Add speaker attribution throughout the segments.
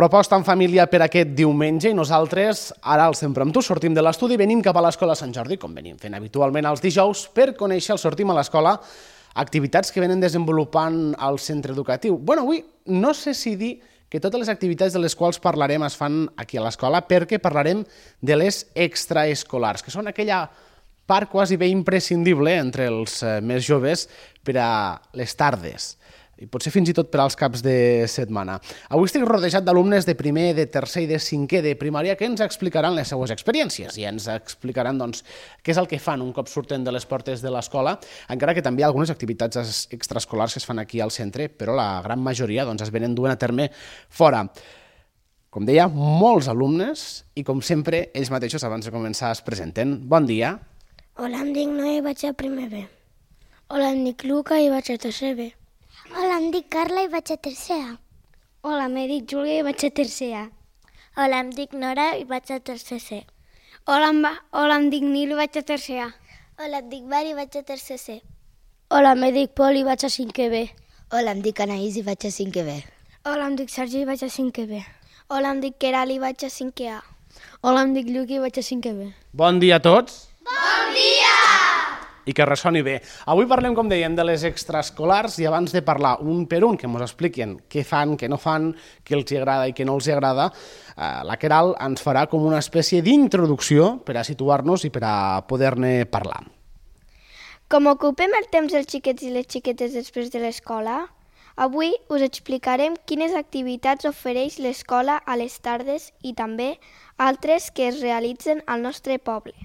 Speaker 1: Proposta en família per aquest diumenge i nosaltres, ara al Sempre amb tu, sortim de l'estudi i venim cap a l'Escola Sant Jordi, com venim fent habitualment els dijous, per conèixer el Sortim a l'Escola, activitats que venen desenvolupant al centre educatiu. Bueno, avui no sé si dir que totes les activitats de les quals parlarem es fan aquí a l'escola perquè parlarem de les extraescolars, que són aquella part quasi bé imprescindible entre els més joves per a les tardes i potser fins i tot per als caps de setmana. Avui estic rodejat d'alumnes de primer, de tercer i de cinquè de primària que ens explicaran les seues experiències i ens explicaran què és el que fan un cop surten de les portes de l'escola, encara que també hi ha algunes activitats extraescolars que es fan aquí al centre, però la gran majoria es venen duent a terme fora. Com deia, molts alumnes i, com sempre, ells mateixos abans de començar es presenten. Bon dia.
Speaker 2: Hola, em dic Noé i vaig a primer B. Hola, em dic Luca i vaig a tercer B.
Speaker 3: Hola, em dic Carla i vaig a tercer A.
Speaker 4: Hola, em dic Júlia i vaig a tercer A.
Speaker 5: Hola, em dic Nora i vaig a tercer C.
Speaker 4: Hola, em dic Nil i vaig a tercer A.
Speaker 6: Hola, em dic Mari i vaig a tercer C.
Speaker 7: Hola, em dic Pol i vaig a cinquè B.
Speaker 8: Hola, em dic Anaïs i vaig a cinquè B.
Speaker 9: Hola, em dic Sergi i vaig a cinquè B.
Speaker 10: Hola, em dic Queralt i vaig a cinquè A.
Speaker 11: Hola, em dic Lluc i vaig a cinquè B.
Speaker 1: Bon dia a tots.
Speaker 12: Bon dia!
Speaker 1: I que ressoni bé. Avui parlem, com dèiem, de les extraescolars i abans de parlar un per un, que ens expliquen què fan, què no fan, què els agrada i què no els agrada, la Queralt ens farà com una espècie d'introducció per a situar-nos i per a poder-ne parlar.
Speaker 10: Com ocupem el temps dels xiquets i les xiquetes després de l'escola, avui us explicarem quines activitats ofereix l'escola a les tardes i també altres que es realitzen al nostre poble.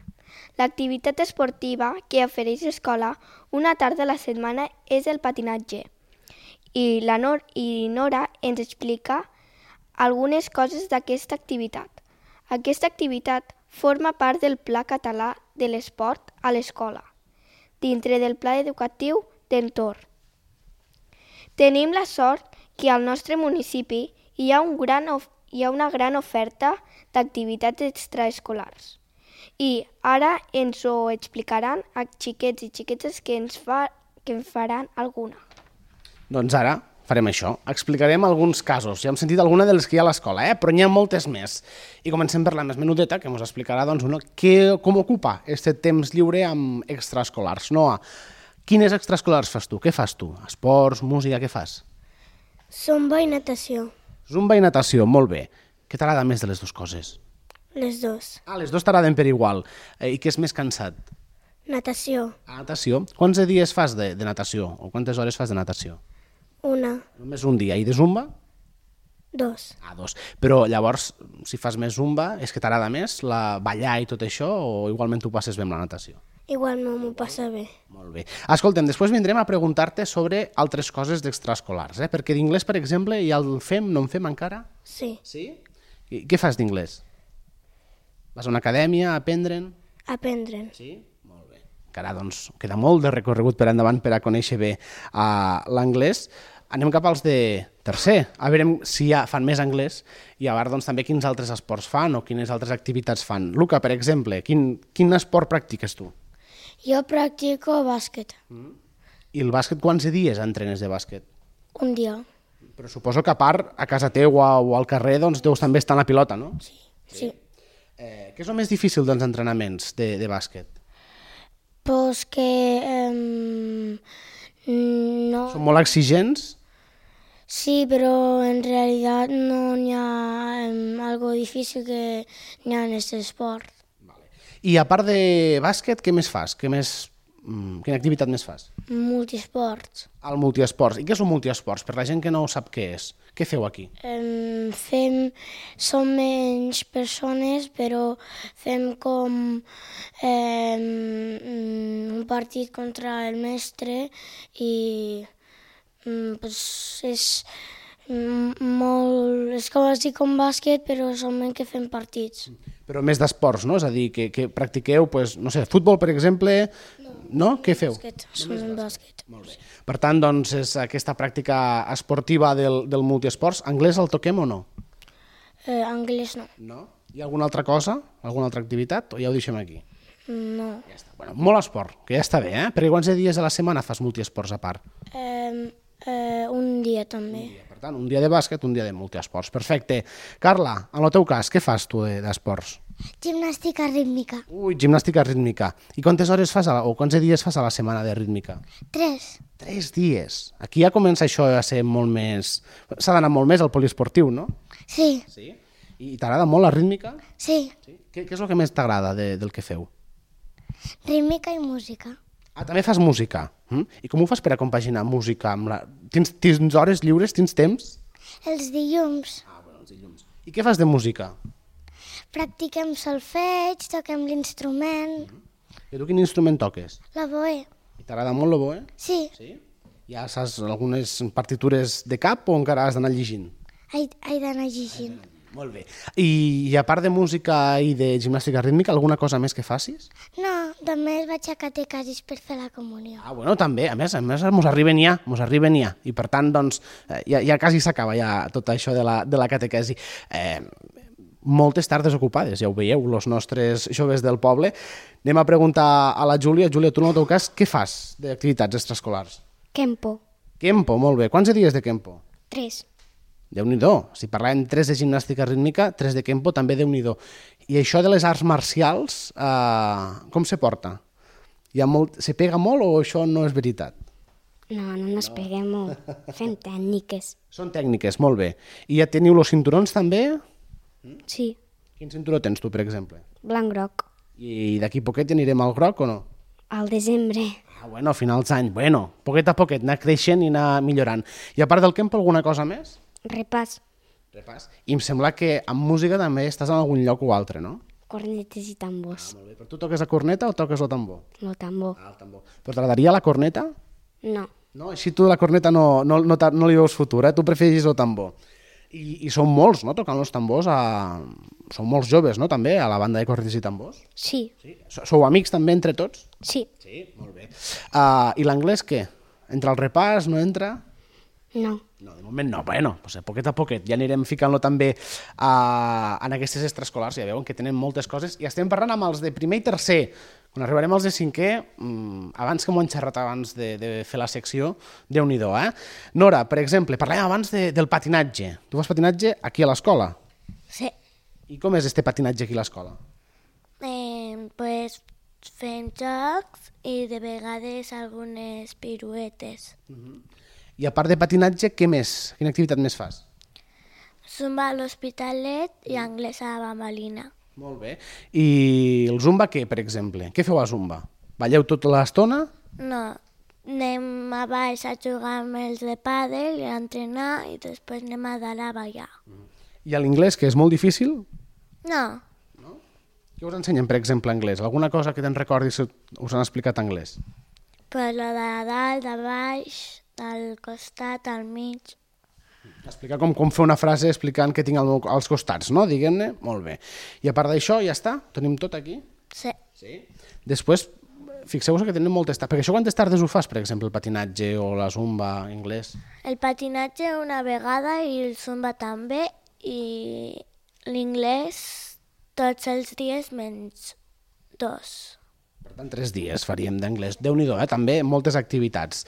Speaker 10: L'activitat esportiva que ofereix l'escola una tarda a la setmana és el patinatge i Nora ens explica algunes coses d'aquesta activitat. Aquesta activitat forma part del Pla Català de l'Esport a l'escola, dintre del Pla Educatiu d'Entorn. Tenim la sort que al nostre municipi hi ha una gran oferta d'activitats extraescolars. I ara ens ho explicaran a xiquets i xiquetes que en faran alguna.
Speaker 1: Doncs ara farem això. Explicarem alguns casos. Ja hem sentit alguna de les que hi ha a l'escola, però n'hi ha moltes més. I comencem per la més menudeta, que ens explicarà com ocupa aquest temps lliure amb extraescolars. Noa, quines extraescolars fas tu? Què fas tu? Esports, música, què fas?
Speaker 2: Zumba i natació.
Speaker 1: Zumba i natació, molt bé. Què t'agrada més de les dues coses?
Speaker 2: Les dues.
Speaker 1: Les dues t'agraden per igual. I què és més cansat?
Speaker 2: Natació.
Speaker 1: Natació. Quants dies fas de natació? O quantes hores fas de natació?
Speaker 2: Una.
Speaker 1: Només un dia. I de zumba?
Speaker 2: 2.
Speaker 1: 2. Però llavors, si fas més zumba, és que t'agrada més ballar i tot això o igualment tu passes bé amb la natació?
Speaker 2: Igual no m'ho passa bé.
Speaker 1: Molt bé. Escolta'm, després vindrem a preguntar-te sobre altres coses d'extraescolars, perquè d'inglès, per exemple, ja el fem, no en fem encara?
Speaker 2: Sí.
Speaker 1: Sí? I què fas d'inglès? Vas a una acadèmia a aprendre'n?
Speaker 2: Aprendre'n.
Speaker 1: Sí? Molt bé. Encara, doncs, queda molt de recorregut per endavant per a conèixer bé l'anglès. Anem cap als de tercer. A veure si ja fan més anglès i a veure també quins altres esports fan o quines altres activitats fan. Luca, per exemple, quin esport practiques tu?
Speaker 2: Jo practico bàsquet.
Speaker 1: I el bàsquet quants dies entrenes de bàsquet?
Speaker 2: Un dia.
Speaker 1: Però suposo que a part, a casa teua o al carrer, deus també estar en la pilota, no?
Speaker 2: Sí.
Speaker 1: Què és el més difícil dels entrenaments de bàsquet?
Speaker 2: Pues que no...
Speaker 1: Són molt exigents?
Speaker 2: Sí, però en realitat no n'hi ha algo difícil que n'hi ha en aquest esport.
Speaker 1: I a part de bàsquet, què més fas? Quina activitat més fas?
Speaker 2: Multiesports.
Speaker 1: El multiesports. I què són multiesports? Per la gent que no sap què és. Què feu aquí?
Speaker 2: Som menys persones, però fem com un partit contra el mestre i és com bàsquet, però solament que fem partits.
Speaker 1: Però més d'esports, no? És a dir, que practiqueu, no sé, futbol, per exemple, no? Què feu?
Speaker 2: Bàsquet.
Speaker 1: Molt bé. Per tant, doncs, és aquesta pràctica esportiva del multiesports. Anglès el toquem o no?
Speaker 2: Anglès no.
Speaker 1: No? Hi ha alguna altra cosa? Alguna altra activitat? O ja ho deixem aquí?
Speaker 2: No.
Speaker 1: Ja està. Bueno, molt esport, que ja està bé, Perquè quants dies a la setmana fas multiesports a part?
Speaker 2: Un dia també.
Speaker 1: Per Per tant, un dia de bàsquet, un dia de multiesports. Perfecte. Carla, en el teu cas, què fas tu d'esports?
Speaker 3: Gimnàstica rítmica.
Speaker 1: Ui, gimnàstica rítmica. I quantes hores fas o quants dies fas a la setmana de rítmica?
Speaker 3: 3.
Speaker 1: 3 dies. Aquí ja comença això a ser molt més... S'ha d'anar molt més al poliesportiu, no?
Speaker 3: Sí.
Speaker 1: Sí? I t'agrada molt la rítmica?
Speaker 3: Sí.
Speaker 1: Què és el que més t'agrada del que feu?
Speaker 3: Rítmica i música.
Speaker 1: Ah, també fas música. I com ho fas per a compaginar música amb la... Tens hores lliures? Tens temps?
Speaker 3: Els dilluns.
Speaker 1: Ah, bueno, els dilluns. I què fas de música?
Speaker 3: Practiquem solfeig, toquem l'instrument.
Speaker 1: I tu quin instrument toques?
Speaker 3: L'oboe.
Speaker 1: I t'agrada molt l'oboe?
Speaker 3: Sí.
Speaker 1: Sí? Ja saps algunes partitures de cap o encara has d'anar llegint?
Speaker 3: He d'anar llegint.
Speaker 1: Molt bé. I a part de música i de gimnàstica rítmica, alguna cosa més que facis?
Speaker 3: No, només vaig a catequesis per fer la comunió.
Speaker 1: Ah, bueno, també. A més mos arriben ja. I per tant, doncs, ja quasi s'acaba ja tot això de la catequesi. Moltes tardes ocupades, ja ho veieu, els nostres joves del poble. Anem a preguntar a la Júlia. Júlia, tu en el teu cas, què fas d'activitats extraescolars?
Speaker 9: Kempo.
Speaker 1: Kempo, molt bé. Quants dies de Kempo?
Speaker 9: 3.
Speaker 1: Déu-n'hi-do. Si parlàvem 3 de gimnàstica rítmica, 3 de Kempo, també Déu-n'hi-do. I això de les arts marcials, com se porta? Se pega molt o això no és veritat?
Speaker 9: No ens peguem molt. Fem tècniques.
Speaker 1: Són tècniques, molt bé. I ja teniu els cinturons també?
Speaker 9: Sí.
Speaker 1: Quin cinturó tens tu, per exemple?
Speaker 9: Blanc-groc.
Speaker 1: I d'aquí poquet ja anirem al groc o no?
Speaker 9: Al desembre.
Speaker 1: Ah, bueno, a finals d'any. Bueno, poquet a poquet, anar creixent i anar millorant. I a part del Kempo, alguna cosa més?
Speaker 9: Repàs.
Speaker 1: I em sembla que amb música també estàs en algun lloc o altre, no?
Speaker 9: Cornetes i tambors.
Speaker 1: Molt bé. Però tu toques la corneta o toques el tambor?
Speaker 9: El tambor.
Speaker 1: Ah, el tambor. Però t'agradaria la corneta?
Speaker 9: No.
Speaker 1: No? Així tu la corneta no li veus futur, Tu preferis el tambor. I són molts, no?, tocant els tambors. Són molts joves, no?, també, a la banda de cornetes i tambors.
Speaker 9: Sí.
Speaker 1: Sou amics també entre tots?
Speaker 9: Sí.
Speaker 1: Sí, molt bé. I l'anglès què? Entra al repàs, no entra?
Speaker 9: No.
Speaker 1: No, de moment no. Bueno, pues poquet a poquet ja anirem ficant-lo també en aquestes extraescolars. Ja veuen que tenen moltes coses. I estem parlant amb els de primer i tercer. Quan arribarem als de cinquè, abans que m'ho han xerrat abans de fer la secció, Déu-n'hi-do, Nora, per exemple, parlàvem abans del patinatge. Tu fas patinatge aquí a l'escola?
Speaker 5: Sí.
Speaker 1: I com és este patinatge aquí a l'escola?
Speaker 5: Pues fem jocs i de vegades algunes piruetes.
Speaker 1: I a part de patinatge, què més? Quina activitat més fas?
Speaker 5: Zumba a l'Hospitalet i anglès a la Bambalina.
Speaker 1: Molt bé. I el zumba què, per exemple? Què feu a zumba? Balleu tota l'estona?
Speaker 5: No, anem a baix a jugar amb els de pàdel i a entrenar i després anem a dalt a ballar.
Speaker 1: I a l'inglès, que és molt difícil?
Speaker 5: No.
Speaker 1: Què us ensenyen, per exemple, anglès? Alguna cosa que te'n recordis que us han explicat anglès?
Speaker 5: Pues lo de dalt, de baix, del costat, al mig.
Speaker 1: Explicar com fer una frase explicant què tinc als costats, no? Diguem-ne, molt bé. I a part d'això, ja està? Tenim tot aquí?
Speaker 5: Sí.
Speaker 1: Després, fixeu-vos que tenen moltes tardes. Perquè això quantes tardes ho fas, per exemple, el patinatge o la zumba, anglès?
Speaker 5: El patinatge una vegada i el zumba també i l'inglès tots els dies menys 2.
Speaker 1: Per tant, 3 dies faríem d'anglès. Déu-n'hi-do, també moltes activitats.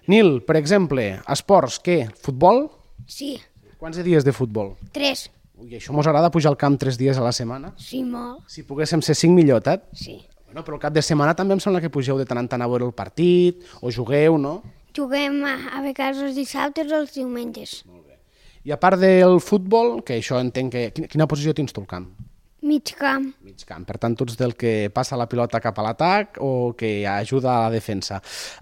Speaker 1: Nil, per exemple, esports, què? Futbol?
Speaker 9: Sí.
Speaker 1: Quants dies de futbol?
Speaker 9: 3.
Speaker 1: Ui, això mos agrada pujar al camp 3 dies a la setmana?
Speaker 9: Sí, molt.
Speaker 1: Si poguéssim ser 5 millor,
Speaker 9: Sí.
Speaker 1: Bueno, però el cap de setmana també em sembla que pugeu de tant en tant a veure el partit, o jugueu, no?
Speaker 9: Juguem a vegades els dissabtes o els diumenges.
Speaker 1: I a part del futbol, que això entenc que... Quina posició tens tu al camp?
Speaker 9: Mig camp.
Speaker 1: Mig camp. Per tant, tu ets del que passa la pilota cap a l'atac o que ajuda a la defensa.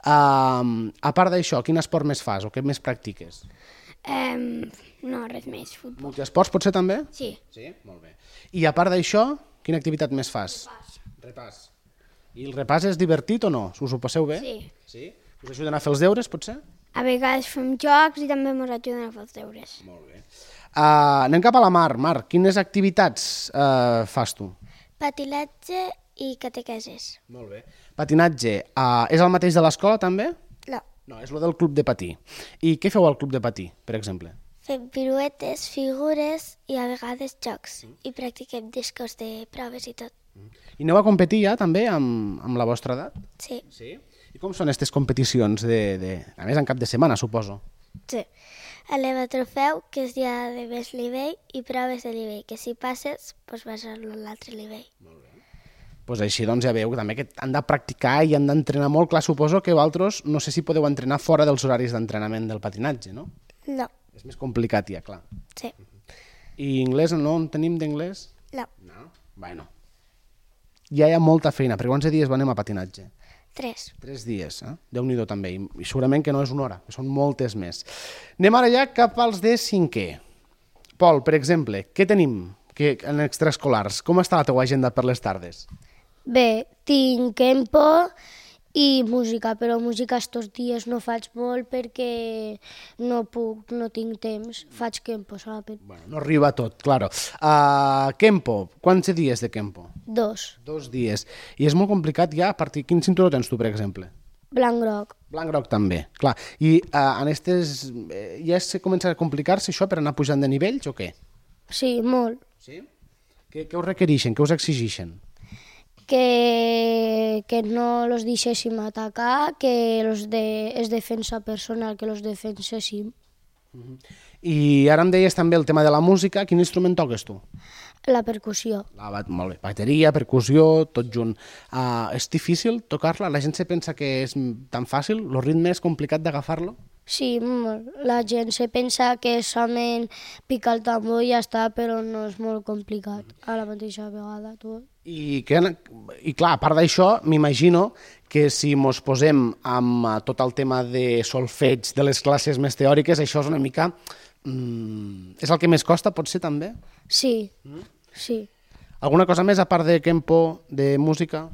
Speaker 1: A part d'això, quin esport més fas o què més practiques?
Speaker 9: No, res més. Futbol.
Speaker 1: Multiesports potser també?
Speaker 9: Sí.
Speaker 1: Sí? Molt bé. I a part d'això, quina activitat més fas? Repàs. I el repàs és divertit o no? Us ho passeu bé?
Speaker 9: Sí.
Speaker 1: Sí? Us ajuden a fer els deures, potser?
Speaker 9: A vegades fem jocs i també ens ajuden a fer els deures.
Speaker 1: Molt bé. Anem cap a la Mar. Mar, quines activitats fas tu?
Speaker 3: Patinatge i catequesis.
Speaker 1: Molt bé. Patinatge, és el mateix de l'escola també?
Speaker 3: No.
Speaker 1: No, és el del club de patir. I què feu al club de patir, per exemple?
Speaker 3: Fem piruetes, figures i a vegades jocs. I practiquem discos de proves i tot.
Speaker 1: I aneu a competir ja també amb la vostra edat?
Speaker 3: Sí.
Speaker 1: Sí? I com són aquestes competicions? A més, en cap de setmana, suposo.
Speaker 3: Sí. Eleva trofeu, que és dia de desnivell, i proves de nivell, que si passes, doncs vas a l'altre nivell.
Speaker 1: Pues així doncs ja veieu que també que han de practicar i han d'entrenar molt. Clar, suposo que vosaltres no sé si podeu entrenar fora dels horaris d'entrenament del patinatge, no?
Speaker 3: No.
Speaker 1: És més complicat ja, clar.
Speaker 3: Sí.
Speaker 1: I anglès, no en tenim d'anglès?
Speaker 3: No.
Speaker 1: No? Bueno. Ja hi ha molta feina. Per quants dies anem a patinatge?
Speaker 3: 3.
Speaker 1: 3 dies, eh? Déu-n'hi-do també. I segurament que no és una hora, que són moltes més. Anem ara ja cap als de 5è. Pol, per exemple, què tenim en extraescolars? Com està la teua agenda per les tardes?
Speaker 7: Bé, tinc Kempo i música, però música estos dies no faig molt perquè no tinc temps. Faig Kempo solament.
Speaker 1: Bueno, no arriba tot, claro. Kempo, quants dies de Kempo?
Speaker 7: 2.
Speaker 1: 2 dies. I és molt complicat ja a partir... Quin cinturó tens tu, per exemple?
Speaker 7: Blanc-groc.
Speaker 1: Blanc-groc també, clar. I en estes... ja es comença a complicar-se això per anar pujant de nivells o què?
Speaker 7: Sí, molt.
Speaker 1: Sí? Què us requereixen? Què us exigeixen?
Speaker 7: Que no los deixéssim atacar, que es defensa personal, que los defenséssim.
Speaker 1: I ara em deies també el tema de la música. Quin instrument toques tu?
Speaker 7: La percussió.
Speaker 1: Molt bé, bateria, percussió, tot junt. És difícil tocar-la? La gent se pensa que és tan fàcil? El ritme és complicat d'agafar-lo?
Speaker 7: Sí, molt. La gent se pensa que és solament picar el tambor i ja està, però no és molt complicat a la mateixa vegada tot.
Speaker 1: I clar, a part d'això, m'imagino que si mos posem amb tot el tema de solfeig, de les classes més teòriques, això és una mica... és el que més costa, pot ser també?
Speaker 7: Sí, sí.
Speaker 1: Alguna cosa més a part de Kempo, de música?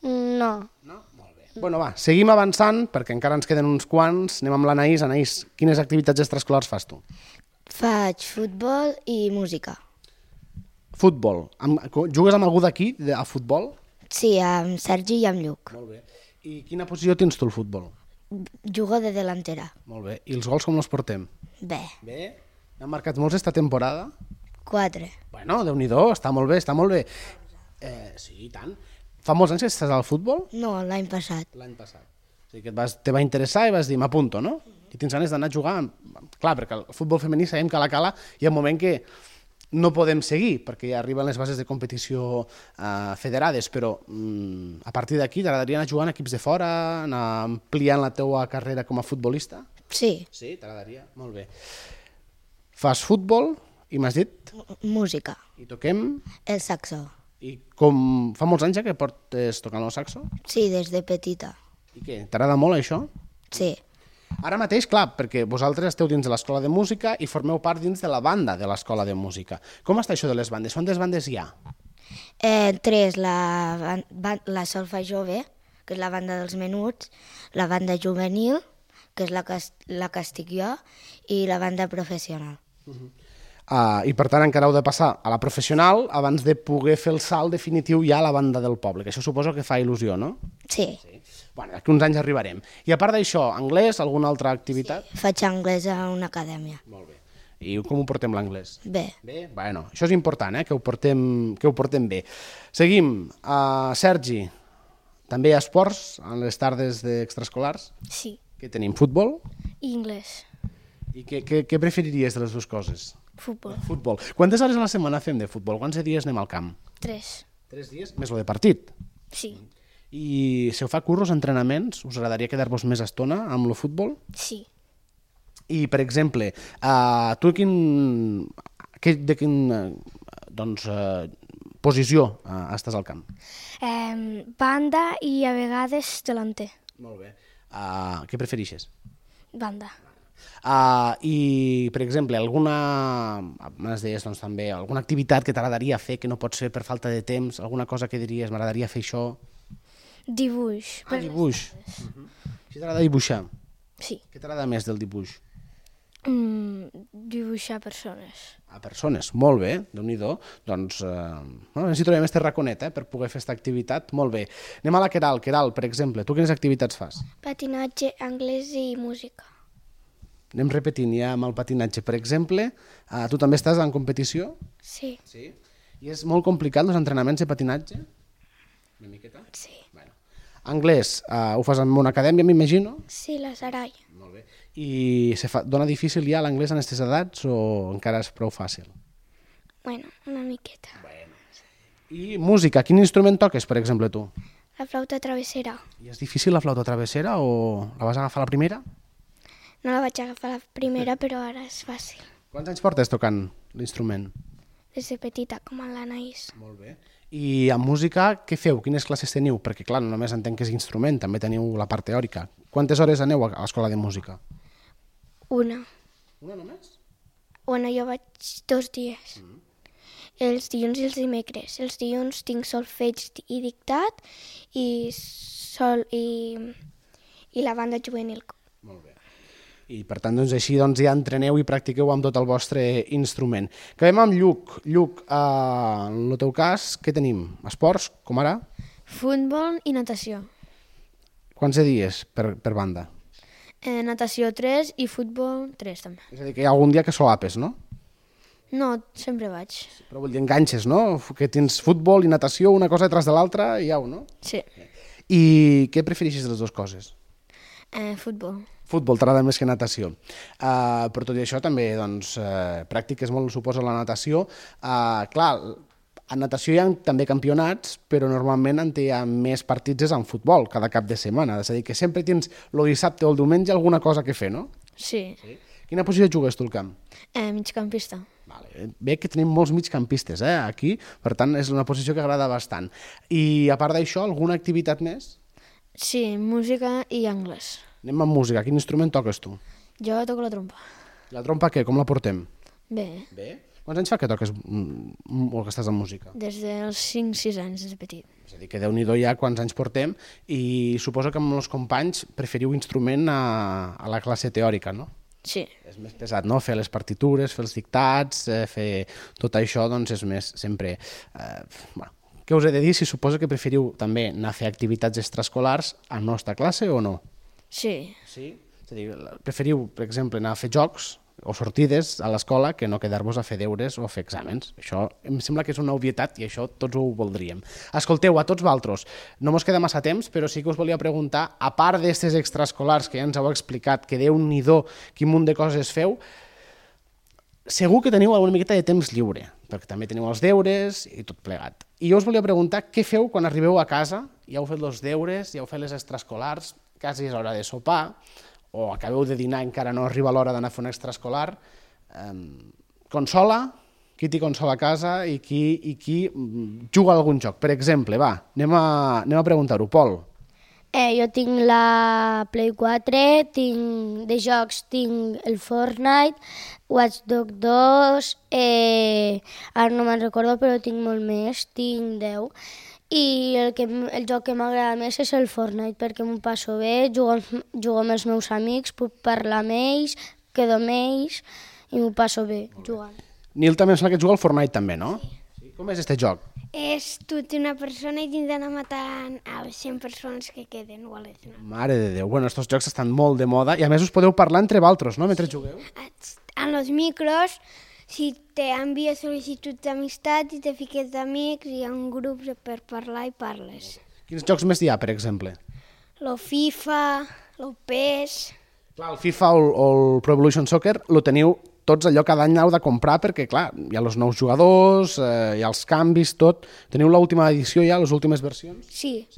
Speaker 7: No.
Speaker 1: No? Molt bé. Bueno, va, seguim avançant, perquè encara ens queden uns quants. Anem amb l'Anaïs. Anaïs, quines activitats extraescolars fas tu?
Speaker 8: Faig futbol i música.
Speaker 1: Futbol. Jugues amb algú d'aquí, a futbol?
Speaker 8: Sí, amb Sergi i amb Lluc.
Speaker 1: Molt bé. I quina posició tens tu al futbol?
Speaker 8: Jugo de delantera.
Speaker 1: Molt bé. I els gols com els portem?
Speaker 8: Bé.
Speaker 1: Bé? N'han marcat molts esta temporada?
Speaker 8: 4.
Speaker 1: Bueno, Déu-n'hi-do, està molt bé, està molt bé. Sí, i tant. Fa molts anys que estàs al futbol?
Speaker 8: No, l'any passat.
Speaker 1: L'any passat. O sigui que te va interessar i vas dir, m'apunto, no? I tens ganes d'anar a jugar. Clar, perquè el futbol femení sabem que a la cala hi ha un moment que no podem seguir, perquè ja arriben les bases de competició federades, però a partir d'aquí t'agradaria anar jugant a equips de fora, anar ampliant la teua carrera com a futbolista?
Speaker 8: Sí.
Speaker 1: Sí, t'agradaria? Molt bé. Fas futbol i m'has dit?
Speaker 8: Música.
Speaker 1: I toquem?
Speaker 8: El saxo.
Speaker 1: I com fa molts anys ja que portes tocant el saxo?
Speaker 8: Sí, des de petita.
Speaker 1: I què, t'agrada molt això?
Speaker 8: Sí.
Speaker 1: Ara mateix, clar, perquè vosaltres esteu dins de l'escola de música i formeu part dins de la banda de l'escola de música. Com està això de les bandes? Quantes bandes hi ha?
Speaker 8: 3, la Solfa Jove, que és la banda dels menuts, la banda juvenil, que és la que estic jo, i la banda professional.
Speaker 1: I per tant encara heu de passar a la professional abans de poder fer el salt definitiu ja a la banda del poble, que això suposo que fa il·lusió, no?
Speaker 8: Sí.
Speaker 1: Bueno, d'aquí uns anys arribarem. I a part d'això, anglès, alguna altra activitat?
Speaker 8: Sí, faig anglès a una acadèmia.
Speaker 1: Molt bé. I com ho portem l'anglès?
Speaker 8: Bé.
Speaker 1: Bé? Bueno, això és important, que ho portem bé. Seguim. Sergi, també hi ha esports en les tardes d'extraescolars?
Speaker 10: Sí.
Speaker 1: Què tenim? Futbol?
Speaker 10: I anglès.
Speaker 1: I què preferiries de les dues coses?
Speaker 10: Futbol.
Speaker 1: Futbol. Quantes hores a la setmana fem de futbol? Quants dies anem al camp?
Speaker 10: 3.
Speaker 1: 3 dies? Més lo de partit?
Speaker 10: Sí.
Speaker 1: I si heu fa cursos, entrenaments, us agradaria quedar-vos més estona amb el futbol?
Speaker 10: Sí.
Speaker 1: I, per exemple, tu de quin posició estàs al camp?
Speaker 10: Banda i a vegades delanter.
Speaker 1: Molt bé. Què preferixes?
Speaker 10: Banda.
Speaker 1: I, per exemple, m'has dit, doncs, també, alguna activitat que t'agradaria fer que no pots fer per falta de temps, alguna cosa que diries, m'agradaria fer això?
Speaker 10: Dibuix.
Speaker 1: Dibuix. Si t'agrada dibuixar?
Speaker 10: Sí.
Speaker 1: Què t'agrada més del dibuix?
Speaker 10: Dibuixar persones.
Speaker 1: A persones, molt bé, Déu-n'hi-do. Doncs, si trobem este raconet per poder fer aquesta activitat, molt bé. Anem a la Queralt. Queralt, per exemple, tu quines activitats fas?
Speaker 3: Patinatge, anglès i música.
Speaker 1: Anem repetint ja amb el patinatge. Per exemple, tu també estàs en competició?
Speaker 3: Sí.
Speaker 1: I és molt complicat els entrenaments de patinatge? Una miqueta?
Speaker 3: Sí.
Speaker 1: Bueno. Anglès, ho fas en una acadèmia, m'imagino?
Speaker 3: Sí, la Sarai.
Speaker 1: Molt bé. I dona difícil ja l'anglès en aquestes edats o encara és prou fàcil?
Speaker 3: Bueno, una miqueta.
Speaker 1: I música, quin instrument toques, per exemple, tu?
Speaker 3: La flauta travessera.
Speaker 1: I és difícil la flauta travessera o la vas agafar la primera?
Speaker 3: No la vaig agafar la primera, però ara és fàcil.
Speaker 1: Quants anys portes tocant l'instrument?
Speaker 3: Des de petita, com en l'Anaïs.
Speaker 1: Molt bé. I en música, què feu? Quines classes teniu? Perquè, clar, no només entenc que és instrument, també teniu la part teòrica. Quantes hores aneu a l'escola de música?
Speaker 3: Una.
Speaker 1: Una només?
Speaker 3: Bueno, jo vaig 2 dies. Els dilluns i els dimecres. Els dilluns tinc solfeig i dictat i la banda juvenil.
Speaker 1: Molt bé. I per tant, doncs, així ja entreneu i practiqueu amb tot el vostre instrument. Acabem amb Lluc. Lluc, en el teu cas, què tenim? Esports, com ara?
Speaker 11: Futbol i natació.
Speaker 1: Quants dies per banda?
Speaker 11: Natació 3 i futbol 3 també.
Speaker 1: És a dir, que hi ha algun dia que solapes, no?
Speaker 11: No, sempre vaig.
Speaker 1: Però vull dir, enganxes, no? Que tens futbol i natació, una cosa detrás de l'altra, i au, no?
Speaker 11: Sí.
Speaker 1: I què prefereixes de les dues coses?
Speaker 11: Futbol.
Speaker 1: Futbol t'agrada més que natació. Però tot i això també doncs, pràctiques molt, suposo, la natació. Clar, en natació hi ha també campionats, però normalment hi ha més partits en futbol cada cap de setmana. És a dir, que sempre tens el dissabte o el diumenge alguna cosa que fer, no?
Speaker 11: Sí.
Speaker 1: Quina posició jugues tu al camp?
Speaker 11: Migcampista.
Speaker 1: Vale. Bé que tenim molts migcampistes aquí, per tant és una posició que agrada bastant. I a part d'això, alguna activitat més?
Speaker 11: Sí, música i anglès.
Speaker 1: Anem amb música. Quin instrument toques tu?
Speaker 11: Jo toco la trompa.
Speaker 1: La trompa què? Com la portem?
Speaker 11: Bé.
Speaker 1: Bé? Quants anys fa que toques o que estàs en música?
Speaker 11: Des dels 5-6 anys, des de petit.
Speaker 1: És a dir, que Déu-n'hi-do ja quants anys portem i suposo que amb els companys preferiu instrument a la classe teòrica, no?
Speaker 11: Sí.
Speaker 1: És més pesat, no? Fer les partitures, fer els dictats, fer tot això, doncs és més sempre... Bueno, què us he de dir? Si suposo que preferiu també anar a fer activitats extraescolars a la nostra classe o no?
Speaker 11: Sí.
Speaker 1: Sí? És a dir, preferiu, per exemple, anar a fer jocs o sortides a l'escola que no quedar-vos a fer deures o a fer exàmens. Això em sembla que és una obvietat i això tots ho voldríem. Escolteu, a tots vosaltres, no mos queda massa temps, però sí que us volia preguntar, a part d'estes extraescolars que ja ens heu explicat, que Déu-n'hi-do quin munt de coses feu, segur que teniu alguna miqueta de temps lliure, perquè també teniu els deures i tot plegat. I jo us volia preguntar què feu quan arribeu a casa, ja heu fet els deures, ja heu fet les extraescolars, quasi és hora de sopar, o acabeu de dinar i encara no arriba l'hora d'anar a fer un extraescolar. Consola, qui té consola a casa i qui juga a algun joc. Per exemple, va, anem a preguntar-ho. Pol.
Speaker 7: Jo tinc la Play 4, de jocs tinc el Fortnite, Watch Dogs 2, ara no me'n recordo però tinc molt més, tinc 10. I el joc que m'agrada més és el Fortnite perquè m'ho passo bé, jugo amb els meus amics, puc parlar amb ells, quedo amb ells i m'ho passo bé jugant.
Speaker 1: Nil també em sembla que juga al Fortnite també, no? Sí. Com és este joc?
Speaker 4: És tu ets una persona i tens d'anar matant a les 100 persones que queden.
Speaker 1: Mare de Déu, bueno, estos jocs estan molt de moda i a més us podeu parlar entre vosaltres, no?, mentre jugueu.
Speaker 4: En los micros, si te envies sol·licituds d'amistat i te fiques d'amics i hi ha un grup per parlar i parles.
Speaker 1: Quins jocs més hi ha, per exemple?
Speaker 4: Lo FIFA, lo PES...
Speaker 1: Clar, el FIFA o el Pro Evolution Soccer lo teniu tots allò cada any heu de comprar perquè, clar, hi ha els nous jugadors, hi ha els canvis, tot. Teniu l'última edició ja, les últimes versions?
Speaker 4: Sí.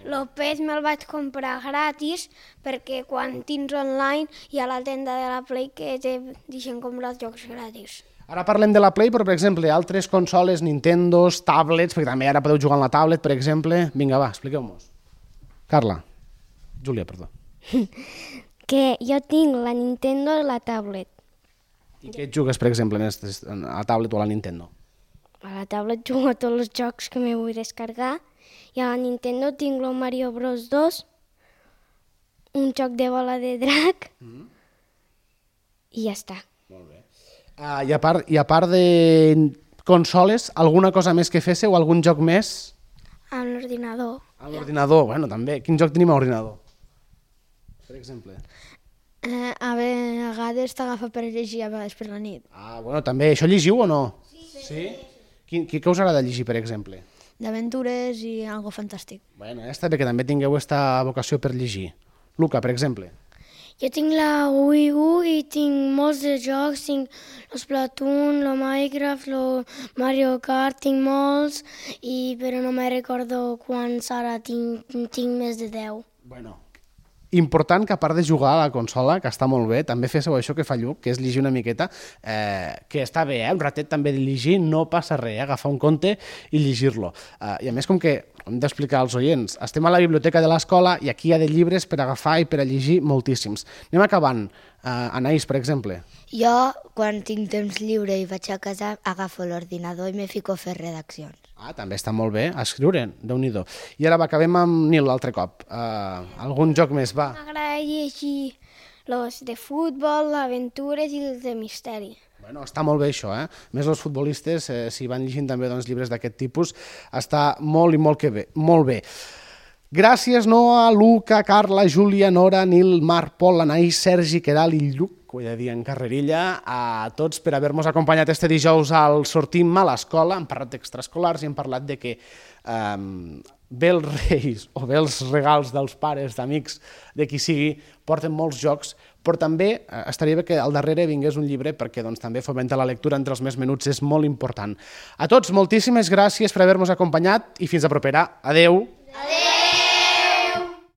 Speaker 4: Lo PES me'l vaig comprar gratis perquè quan tens online hi ha la tenda de la Play que te deixen comprar els jocs gratis.
Speaker 1: Ara parlem de la Play, però, per exemple, altres consoles, Nintendos, tablets, perquè també ara podeu jugar en la tablet, per exemple. Vinga, va, expliqueu-nos. Carla. Júlia, perdó.
Speaker 9: Que jo tinc la Nintendo i la tablet.
Speaker 1: I què jugues, per exemple, a la tablet o a la Nintendo?
Speaker 9: A la tablet jugo a tots els jocs que me vull descarregar i a la Nintendo tinc el Mario Bros 2, un joc de bola de drac i ja està.
Speaker 1: Molt bé. I a part de consoles, alguna cosa més que féssiu o algun joc més?
Speaker 3: A l'ordinador.
Speaker 1: A l'ordinador, bueno, també. Quin joc tenim a l'ordinador? Per exemple.
Speaker 11: A vegades t'agafa per llegir, a vegades per la nit.
Speaker 1: Bueno, també. Això llegiu o no? Sí. Què us agrada llegir, per exemple?
Speaker 11: d'aventures i algo fantàstic.
Speaker 1: Bueno, està bé que també tingueu aquesta vocació per llegir. Luca, per exemple.
Speaker 2: Jo tinc la Wii U i tinc molts de jocs, tinc el Splatoon, el Minecraft, el Mario Kart, tinc molts, però no me recordo quants ara, tinc més de 10.
Speaker 1: Bueno, important que a part de jugar a la consola, que està molt bé, també féssiu això que fa Lluc, que és llegir una miqueta, que està bé, un ratet també de llegir, no passa res, agafar un conte i llegir-lo. I a més, com que hem d'explicar als oients, estem a la biblioteca de l'escola i aquí hi ha de llibres per agafar i per a llegir moltíssims. Anem acabant. Anaïs, per exemple.
Speaker 8: Jo, quan tinc temps lliure i vaig a casa, agafo l'ordinador i me fico a fer redaccions.
Speaker 1: També està molt bé, a escriure, Déu-n'hi-do. I ara acabem amb Nil l'altre cop. Algun joc més, va.
Speaker 4: M'agrada llegir els de futbol, d'aventures i els de misteri.
Speaker 1: Bueno, està molt bé això, eh? Més els futbolistes, si van llegint també llibres d'aquest tipus, està molt i molt bé. Gràcies, Noa, Luca, Carla, Júlia, Nora, Nil, Marc, Pol, Anaïs, Sergi, Queral i Lluc, ho he de dir en carrerilla, a tots per haver-nos acompanyat este dijous al Sortim a l'escola. Hem parlat d'extraescolars i hem parlat de que bé els reis o bé els regals dels pares, d'amics, de qui sigui, porten molts jocs, però també estaria bé que al darrere vingués un llibre perquè també fomentar la lectura entre els més menuts és molt important. A tots, moltíssimes gràcies per haver-nos acompanyat i fins a propera. Adeu!
Speaker 6: Adeu!